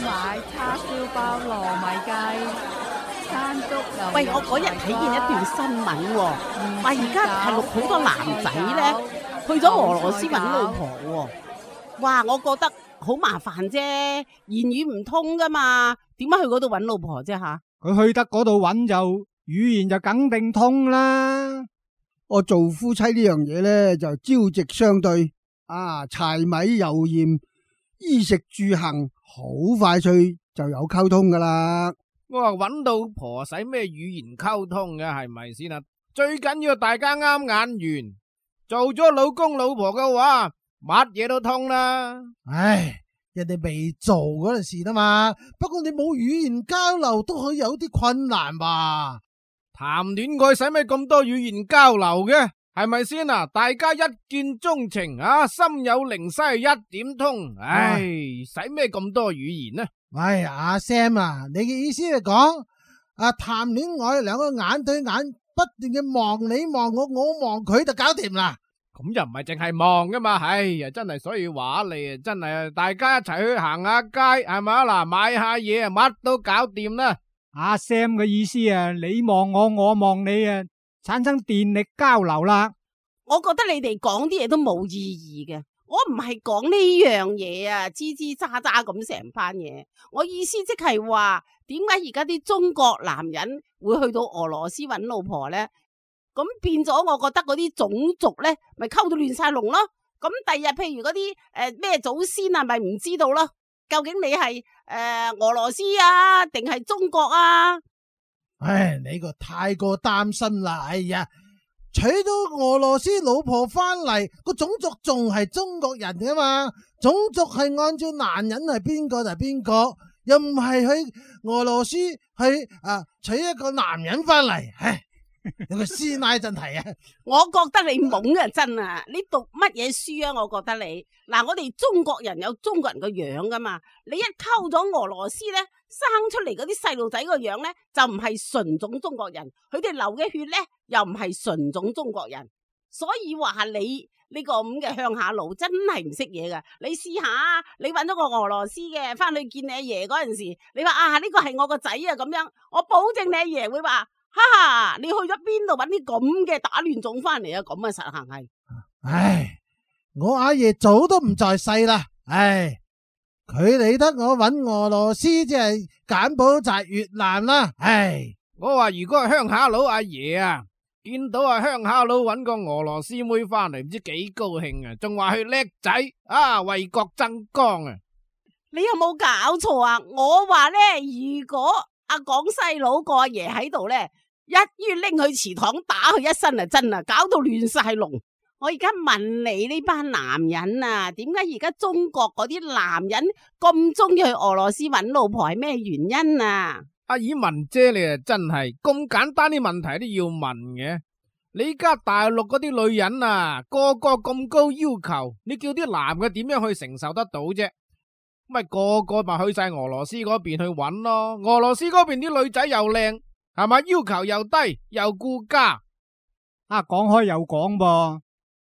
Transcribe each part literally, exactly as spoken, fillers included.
買叉燒包糯米雞、山竹牛。喂，我嗰日睇見一段新聞喎，話而家大陸好多男仔咧去咗俄羅斯揾老婆喎。哇，我覺得好麻煩啫，言語唔通噶嘛，點解去嗰度揾老婆啫吓？佢去得嗰度揾就語言就梗定通啦。我做夫妻呢樣嘢咧就朝夕相對啊，柴米油鹽、衣食住行，好快脆就有溝通噶啦。我話揾到婆使咩語言溝通嘅，係咪先啊？最緊要大家啱眼緣，做咗老公老婆嘅話，乜嘢都通啦。唉，人哋未做嗰陣時啦嘛，不過你冇語言交流都可以有啲困難吧？談戀愛使咩咁多語言交流嘅？係咪先啊？大家一見鍾情啊，心有靈犀一點通。唉，使咩咁多語言呢？喂，阿 Sam 啊，你嘅意思係講啊，談戀愛兩個眼對眼，不斷嘅望你望我，我望佢就搞掂啦。咁又唔係淨係望噶嘛？唉呀，真係所以話你啊，真係大家一齊去行下街，係咪啊？嗱，買下嘢啊，乜都搞掂啦。阿 Sam 嘅意思啊，你望我，我望你啊，產生電力交流啦。我覺得你哋講啲嘢都冇意義嘅。我唔係講呢樣嘢啊，吱吱喳喳咁成番嘢。我意思即係話，點解而家啲中國男人會去到俄羅斯揾老婆呢？咁變咗，我覺得嗰啲種族呢咪溝到亂晒龍咯。咁第日譬如嗰啲誒咩祖先啊，咪唔知道咯。究竟你係誒、呃、俄羅斯啊，定係中國啊？唉，你個太過擔心啦。哎呀，娶到俄羅斯老婆翻嚟，個種族仲係中國人噶嘛？種族係按照男人係邊個就係邊個，又唔係去俄羅斯去啊娶一個男人翻嚟。唉，有個師奶真係啊！我覺得你懵啊，真啊！你讀乜嘢書啊？我覺得你嗱，我哋中國人有中國人個樣噶嘛。你一溝咗俄羅斯咧，生出嚟嗰啲細路仔個樣咧，就唔係純種中國人，佢哋流嘅血咧又唔係純種中國人，所以話你呢個咁嘅鄉下佬真係唔識嘢噶。你試下，你揾咗個俄羅斯嘅翻去見你阿爺嗰陣時，你話啊呢個係我個仔啊咁樣，我保證你阿爺會話。哈哈，你去咗邊度揾啲咁嘅打亂種翻嚟啊？咁啊實行係。唉，我阿爺早都唔在世啦。唉，佢理得我揾俄羅斯即係柬埔寨越南啦。唉，我話如果係鄉下佬阿爺啊，見到啊鄉下佬揾個俄羅斯妹翻嚟，唔知幾高興啊，仲話佢叻仔啊，為國爭光啊！你有冇搞錯啊？我話咧，如果阿廣西佬個阿爺喺度咧，一於拎去祠堂打佢一身啊！真啊，搞到亂晒龍。我而家問你呢班男人啊，點解而家中國嗰啲男人咁中意去俄羅斯揾老婆係咩原因啊？阿爾文姐，你啊真係咁簡單啲問題都要問嘅。你而家大陸嗰啲女人啊，個個咁高要求，你叫啲男嘅點樣去承受得到啫？咪個個咪去晒俄羅斯嗰邊去揾咯。俄羅斯嗰邊啲女仔又靚，係咪？要求又低，又顧家。啊，講開又講噃，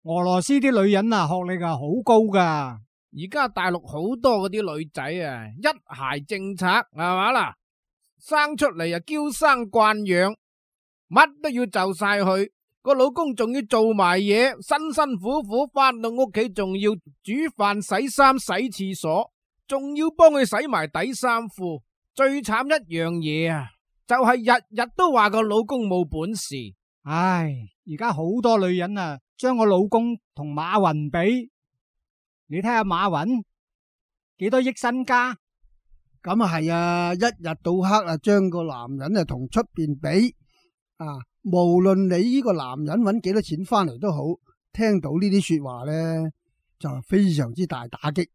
俄羅斯啲女人啊，學歷啊好高噶。而家大陸好多嗰啲女仔啊，一孩政策係嘛啦，生出嚟啊嬌生慣養，乜都要就晒佢，個老公仲要做埋嘢，辛辛苦苦翻到屋企仲要煮飯、洗衫、洗廁所。仲要幫佢洗埋底衫褲，最慘一樣嘢啊，就係日日都話個老公冇本事。唉，而家好多女人啊，將個老公同馬雲比，你睇下馬雲幾多億身家？咁啊係啊，一日到黑啊，將個男人啊同出邊比啊，無論你呢個男人揾幾多錢翻嚟都好，聽到呢啲說話咧，就係非常之大打擊。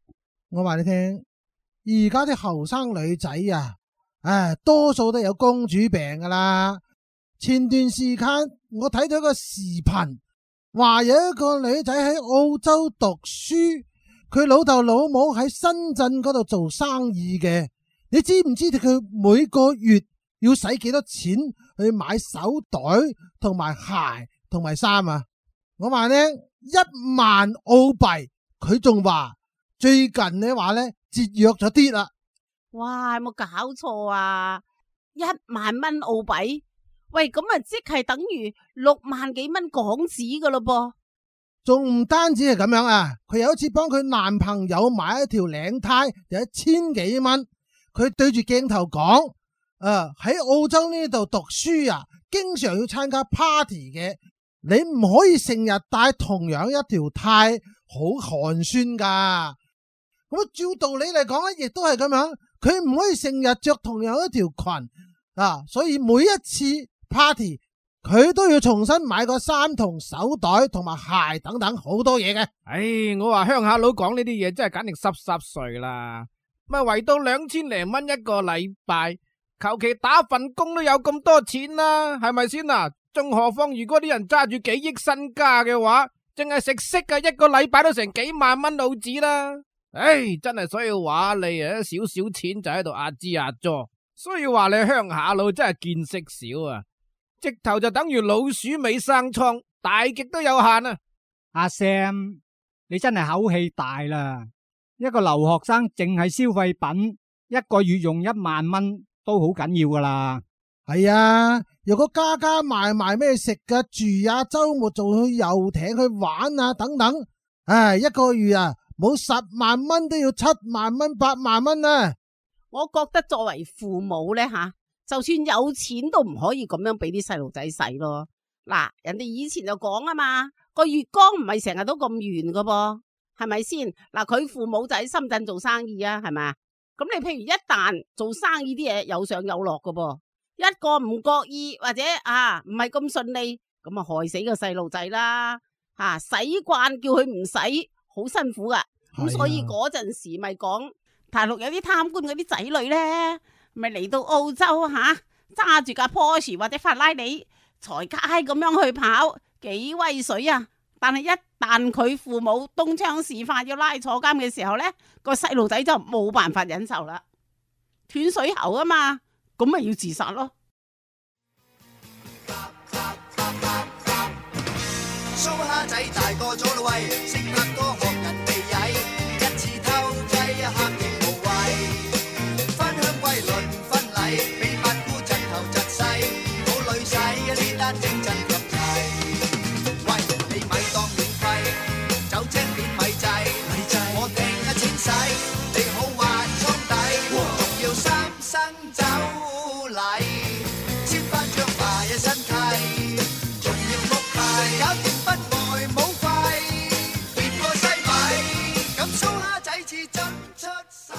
我話你聽，而家啲後生女仔啊，唉，多數都有公主病噶啦。前段時間我睇到一個視頻，話有一個女仔喺澳洲讀書，佢老豆老母喺深圳嗰度做生意嘅。你知唔知道佢每個月要使幾多錢去買手袋同埋鞋同埋衫啊？我話呢，一萬澳幣，佢仲話。最近你話咧節約咗啲啦，哇，有冇搞錯啊？一萬蚊澳幣，喂，咁啊即係等於六萬幾蚊港紙噶咯噃。仲唔單止係咁樣啊，佢有一次幫佢男朋友買一條領呔，有一千幾蚊。佢對住鏡頭講：誒，喺澳洲呢度讀書啊，經常要參加 party 嘅，你唔可以成日帶同樣一條呔，好寒酸噶。咁照道理嚟講咧，亦都係咁樣，佢唔可以成日着同樣一條裙啊，所以每一次 party 佢都要重新買個衫同手袋同埋鞋等等好多嘢嘅。唉，我話鄉下佬講呢啲嘢真係簡直濕濕碎啦。咪圍到兩千零蚊一個禮拜，求其打份工都有咁多錢啦，係咪先啊？仲何況如果啲人揸住幾億身家嘅話，淨係食息啊，一個禮拜都成幾萬蚊澳紙啦。唉，真係所以話你啊，少少錢就喺度壓支壓咗，所以話你鄉下佬真係見識少啊，直頭就等於老鼠尾生瘡，大極都有限啊！阿 Sam，你真係口氣大啦！一個留學生淨係消費品，一個月用一萬蚊都好緊要噶啦。係啊，如果加加埋埋咩食嘅住啊，周末仲去遊艇去玩啊等等，唉，一個月啊冇十萬蚊都要七萬蚊八萬蚊啊！我覺得作為父母咧吓，就算有錢都唔可以咁樣俾啲細路仔使咯。嗱，人哋以前就講啊嘛，個月光唔係成日都咁圓噶噃。係咪先？嗱，佢父母就喺深圳做生意啊，係咪啊？咁你譬如一旦做生意啲嘢有上有落噶噃，一個唔覺意或者啊唔係咁順利，咁啊害死個細路仔啦！吓，使慣叫佢唔使，好辛苦噶。咁所以嗰陣時咪講大陸有啲貪官嗰啲仔女咧，咪嚟到澳洲吓，揸住架 Porsche 或者法拉利，財街咁樣去跑，幾威水啊！但係一旦佢父母東窗事發要拉坐監嘅時候呢，個細路仔就冇辦法忍受啦，斷水喉啊嘛，咁咪要自殺咯。蘇蝦仔大個咗啦喂，識拍拖學人哋曳，一次偷雞黑亦無謂，返鄉歸輪婚禮，俾八姑陣頭窒勢，好女仔啊呢單整真咁齊。我定一錢使，你好還倉底，仲要三生酒禮，簽翻張埋一身契，仲要屋契，搞掂不外冇費，變個西米，咁蘇蝦仔至真出世。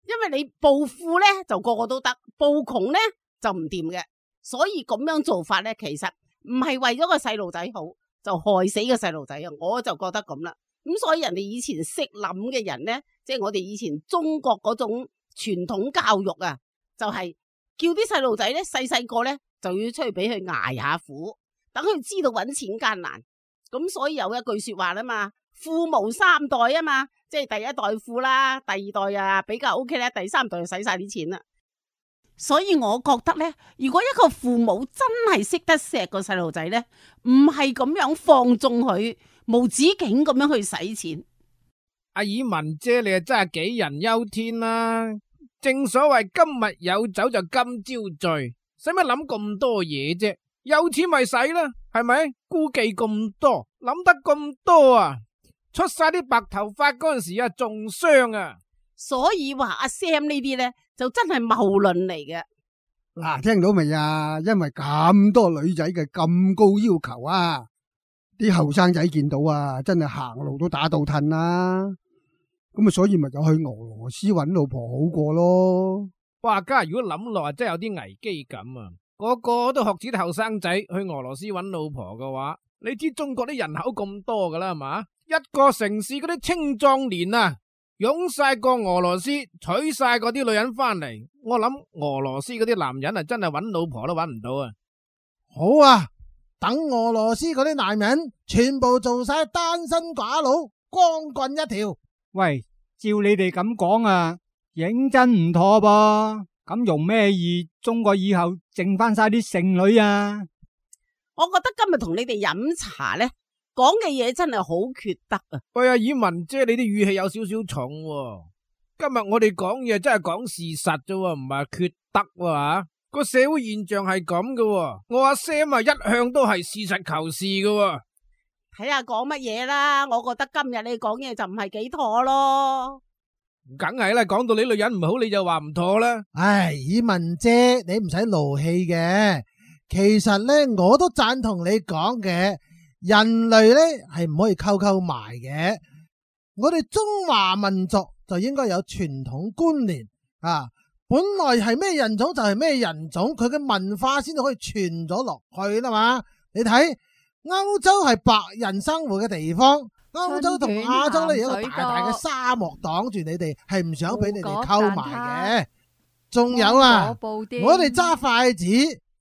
因為你暴富咧就個個都得，暴窮咧就唔掂嘅，所以咁樣做法咧其實唔係為咗個細路仔好，就害死個細路仔啊！我就覺得咁啦。咁所以人哋以前識諗嘅人呢，即係我哋以前中國嗰種傳統教育啊，就係叫啲細路仔呢，細細個呢就要出去俾佢捱下苦，等佢知道搵錢艱難。咁所以有一句說話啦嘛，富無三代啊嘛，即係第一代富啦，第二代啊比較 OK 咧，第三代就使晒啲錢啦。所以我覺得呢，如果一個父母真係識得錫個細路仔呢，唔係咁樣放縱佢，無止境咁樣去使錢。阿爾文姐，你啊真係杞人憂天啦！正所謂今日有酒就今朝醉，使乜諗咁多嘢啫？有錢咪使啦，係咪？顧忌咁多，諗得咁多啊！出晒啲白頭髮嗰陣時啊，仲傷啊！所以話阿 Sam 呢啲呢，就真係謬論嚟嘅。嗱，聽到未啊？因為咁多女仔嘅咁高要求啊，啲後生仔見到啊，真係行路都打倒褪啦。咁啊，所以咪就去俄羅斯揾老婆好過咯。哇！家如果諗落啊，真係有啲危機感啊！個個都學似啲後生仔去俄羅斯揾老婆嘅話，你知中國啲人口咁多噶啦，係嘛？一個城市嗰啲青壯年啊！湧晒過俄羅斯，娶晒嗰啲女人翻嚟，我諗俄羅斯嗰啲男人啊，真係搵老婆都搵唔到啊！好啊，等俄羅斯嗰啲男人全部做晒單身寡佬，光棍一條。喂，照你哋咁講啊，認真唔妥噃。咁容咩易？中國以後剩翻晒啲剩女啊！我覺得今日同你哋飲茶呢，講嘅嘢真係好缺德啊！喂啊，爾文姐，你啲語氣有少少重喎。今日我哋講嘢真係講事實啫，唔係缺德喎。個社會現象係咁嘅，我阿 Sam 啊一向都係事實求是嘅。睇下講乜嘢啦，我覺得今日你講嘢就唔係幾妥咯。梗係啦，講到你女人唔好，你就話唔妥啦。唉，以文姐，你唔使勞氣嘅。其實咧，我都贊同你講嘅，人類咧係唔可以溝溝埋嘅。我哋中華民族就應該有傳統觀念啊，本來係咩人種就係咩人種，佢嘅文化先至可以傳咗落去啦嘛。你睇歐洲係白人生活嘅地方。歐洲同亞洲咧有一個大大嘅沙漠擋住你哋，係唔想俾你哋溝埋嘅。仲有啊，我哋揸筷子，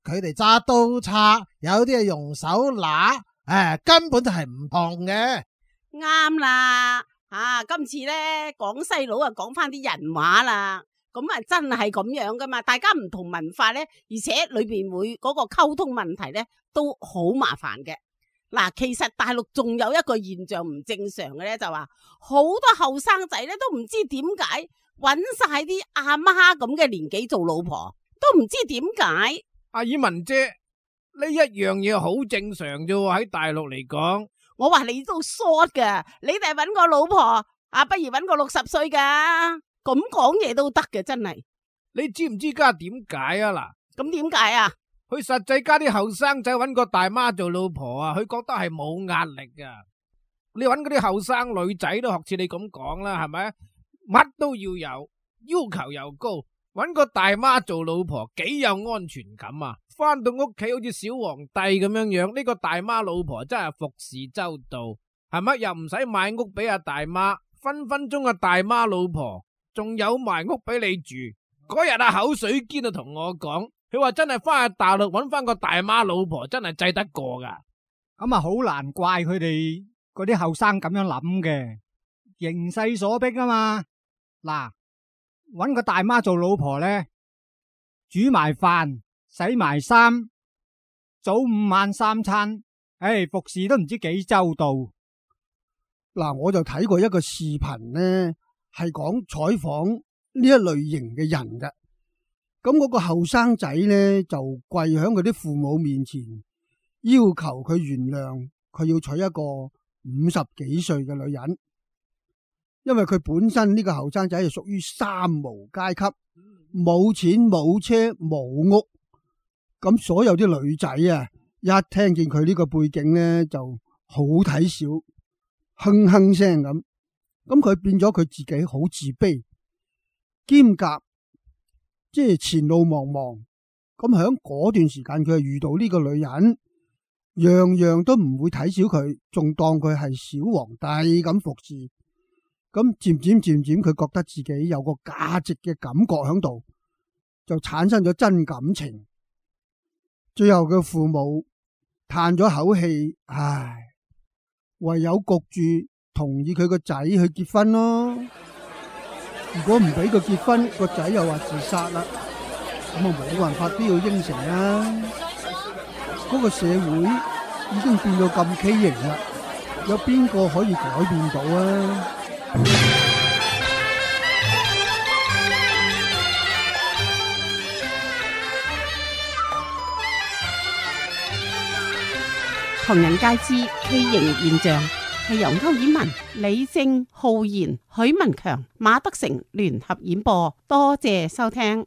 佢哋揸刀叉，有啲係用手拿，誒，根本就係唔同嘅。啱啦，啊，今次咧講細佬啊，講翻啲人話啦，咁啊真係咁樣噶嘛。大家唔同文化咧，而且裏邊會嗰個溝通問題咧都好麻煩嘅。嗱，其實大陸仲有一個現象唔正常嘅咧，就話好多後生仔咧都唔知點解揾晒啲阿媽咁嘅年紀做老婆，都唔知點解。阿以文姐，呢一樣嘢好正常啫，喺大陸嚟講。我話你都 short 噶，你哋揾個老婆啊，不如揾個六十歲噶，咁講嘢都得嘅，真係。你知唔知家點解啊？嗱，咁點解啊？佢實際家啲後生仔揾個大媽做老婆啊，佢覺得係冇壓力噶。你揾嗰啲後生女仔都學似你咁講啦，係咪？乜都要有，要求又高，揾個大媽做老婆幾有安全感啊！翻到屋企好似小皇帝咁樣樣，呢個大媽老婆真係服侍周到，係咪？又唔使買屋俾阿大媽，分分鐘阿大媽老婆仲有埋屋俾你住。嗰日阿口水堅就同我講。佢話真係翻去大陸揾翻個大媽老婆，真係制得過噶。咁啊，好難怪佢哋嗰啲後生咁樣諗嘅，形勢所逼啊嘛。嗱，揾個大媽做老婆咧，煮埋飯、洗埋衫，早午晚三餐，誒，服侍都唔知幾周到。嗱，我就睇過一個視頻咧，係講採訪呢一類型嘅人嘅。咁嗰個後生仔咧就跪喺佢啲父母面前，要求佢原諒佢要娶一個五十幾歲嘅女人，因為佢本身呢個後生仔係屬於三無階級，冇錢冇車冇屋，咁所有啲女仔啊，一聽見佢呢個背景咧就好睇小，哼哼聲咁，咁佢變咗佢自己好自卑，兼夾。即係前路茫茫，咁喺嗰段時間佢係遇到呢個女人，樣樣都唔會睇小佢，仲當佢係小皇帝咁服侍。咁漸漸漸漸，佢覺得自己有個價值嘅感覺喺度，就產生咗真感情。最後嘅父母嘆咗口氣，唉，唯有焗住同意佢個仔去結婚咯。如果唔俾佢結婚，個仔又話自殺啦，咁啊冇辦法都要應承啦。嗰個社會已經變到咁畸形啦，有邊個可以改變到啊？唐人街之畸形現象係由歐爾文、李正、浩然、許文強、馬德成聯合演播，多謝收聽。